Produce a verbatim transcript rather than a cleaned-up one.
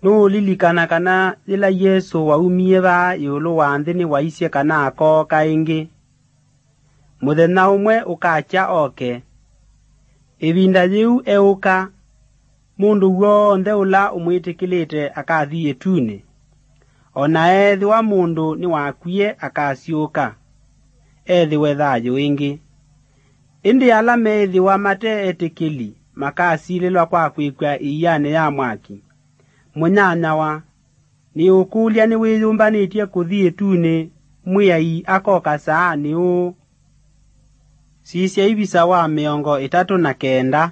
Nũũlilikana kana yĩla Yesũ waumie vaa ĩũlũ wa nthĩ nĩwaisye kana akooka ĩngĩ? Mũthenya ũmwe ũkakya oke. Ĩvinda yĩu eũka, mũndũ w'onthe ũla ũmwĩtĩkĩlĩte akathi ĩtunĩ. O na ethĩwa mũndũ nĩwakwie akasyũka, ethĩwe thayũ ĩngĩ. Ĩndĩ ala meĩthĩwa mate etĩkĩli makasilĩlwa kwa kwĩkw'a ĩianĩ ya mwaki. Mũnyanyawa, nĩũkũlya nĩwĩyũmbanĩtye kũthi ĩtunĩ Mwĩai akoka saa nĩ ũũ? Sisya ivisa wa mĩongo ĩtatũ na kenda.